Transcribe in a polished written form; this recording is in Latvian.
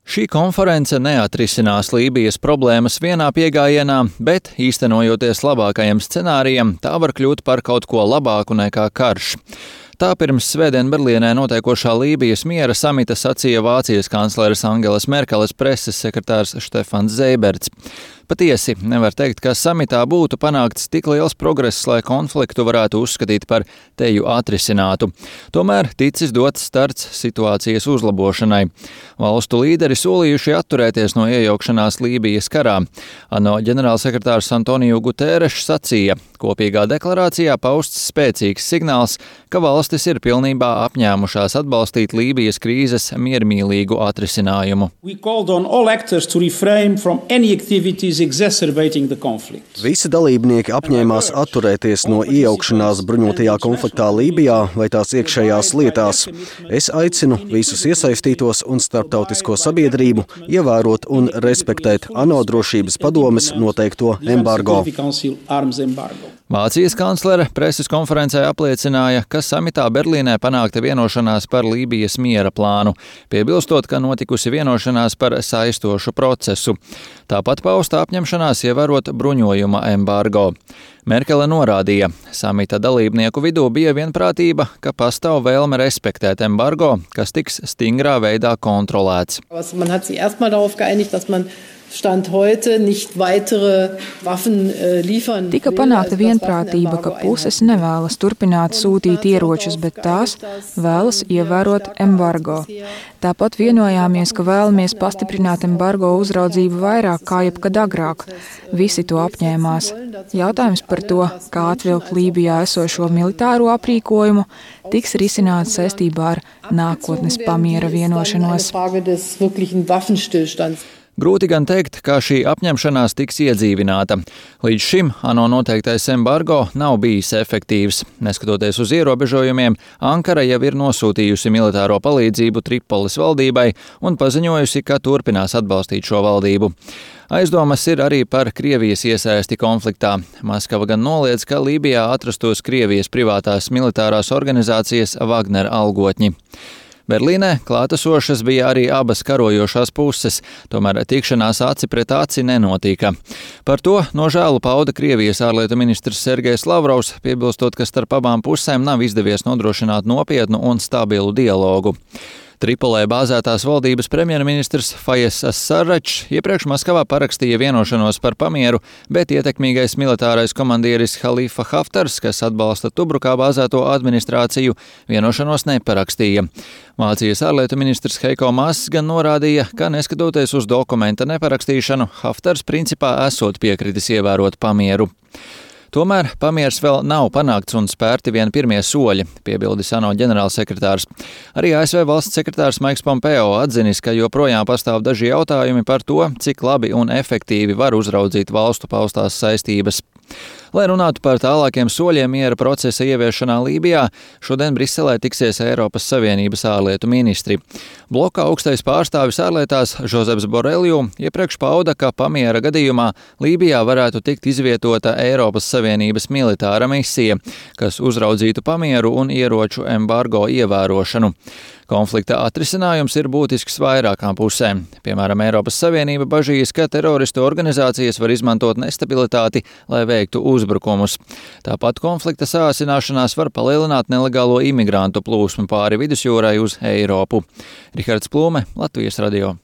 Šī konference neatrisinās Lībijas problēmas vienā piegājienā, bet, īstenojoties labākajam scenārijam, tā var kļūt par kaut ko labāku nekā karš. Tā pirms svētdien Berlīnē notiekošā Lībijas miera samita sacīja Vācijas kancleres Angelas Merkeles preses sekretārs Štefans Zeiberts. Patiesi, nevar teikt, ka samitā būtu panākts tik liels progress, lai konfliktu varētu uzskatīt par teju atrisinātu. Tomēr ticis dots starts situācijas uzlabošanai. Valstu līderi solījuši atturēties no iejaukšanās Lībijas karā. ANO ģenerālsekretārs Antoniju Guterešs sacīja, kopīgā deklarācijā pausts spēcīgs signāls, ka valstis ir pilnībā apņēmušās atbalstīt Lībijas krīzes miermīlīgu atrisinājumu. Visi dalībnieki apņēmās atturēties no iejaukšanās bruņotajā konfliktā Lībijā vai tās iekšējās lietās. Es aicinu visus iesaistītos un starptautisko sabiedrību ievērot un respektēt ANO drošības padomes noteikto embargo. Vācijas kanclere preses konferencē apliecināja, ka samitā Berlīnē panākta vienošanās par Lībijas miera plānu, piebilstot, ka notikusi vienošanās par saistošu procesu. Tāpat pausta apņemšanās ievērot bruņojuma embargo. Merkele norādīja, samita dalībnieku vidū bija vienprātība, ka pastāv vēlme respektēt embargo, kas tiks stingrā veidā kontrolēts. Tika panākta vienprātība, ka puses nevēlas turpināt sūtīt ieročus, bet tās vēlas ievērot embargo. Tāpat vienojāmies, ka vēlamies pastiprināt embargo uzraudzību vairāk kā jebkad agrāk. Visi to apņēmās. Jautājums par to, kā atvilkt Lībijā esošo militāro aprīkojumu, tiks risināts saistībā ar nākotnes pamiera vienošanos. Grūti gan teikt, kā šī apņemšanās tiks iedzīvināta. Līdz šim ANO noteiktais embargo nav bijis efektīvs. Neskatoties uz ierobežojumiem, Ankara jau ir nosūtījusi militāro palīdzību Tripolis valdībai un paziņojusi, ka turpinās atbalstīt šo valdību. Aizdomas ir arī par Krievijas iesaisti konfliktā. Maskava gan noliedz, ka Lībijā atrastos Krievijas privātās militārās organizācijas Wagner algotņi. Berlīnē klātesošas bija arī abas karojošās puses, tomēr tikšanās aci pret aci nenotika. Par to nožēlu pauda Krievijas ārlietu ministrs Sergejs Lavrovs, piebilstot, ka starp abām pusēm nav izdevies nodrošināt nopietnu un stabilu dialogu. Tripolē bāzētās valdības premjerministrs Fayez Sarračs iepriekš Maskavā parakstīja vienošanos par pamieru, bet ietekmīgais militārais komandieris Halifa Haftars, kas atbalsta Tubrukā bāzēto administrāciju, vienošanos neparakstīja. Vācijas ārlietu ministrs Heiko Maass gan norādīja, ka neskatoties uz dokumenta neparakstīšanu, Haftars principā esot piekritis ievērot pamieru. Tomēr pamiers vēl nav panākts un spērti vien pirmie soļi, piebildis ANO ģenerālsekretārs. Arī ASV valsts sekretārs Maiks Pompeo atzinis, ka joprojām pastāv daži jautājumi par to, cik labi un efektīvi var uzraudzīt valstu paustās saistības. Lai runātu par tālākiem soļiem miera procesa ieviešanā Lībijā, šodien Briselē tiksies Eiropas Savienības ārlietu ministri. Bloka augstais pārstāvis ārlietās Žozeps Borelju iepriekš pauda, ka pamiera gadījumā Lībijā varētu tikt izvietota Eiropas Savienības militāra misija, kas uzraudzītu pamieru un ieroču embargo ievērošanu. Konflikta atrisinājums ir būtisks vairākām pusēm. Piemēram, Eiropas Savienība bažīs, ka teroristu organizācijas var izmantot nestabilitāti, lai veiktu uzbrukumus. Tāpat konflikta sāsināšanās var palielināt nelegālo imigrantu plūsmu pāri vidusjūrai uz Eiropu. Rihards Plūme, Latvijas radio.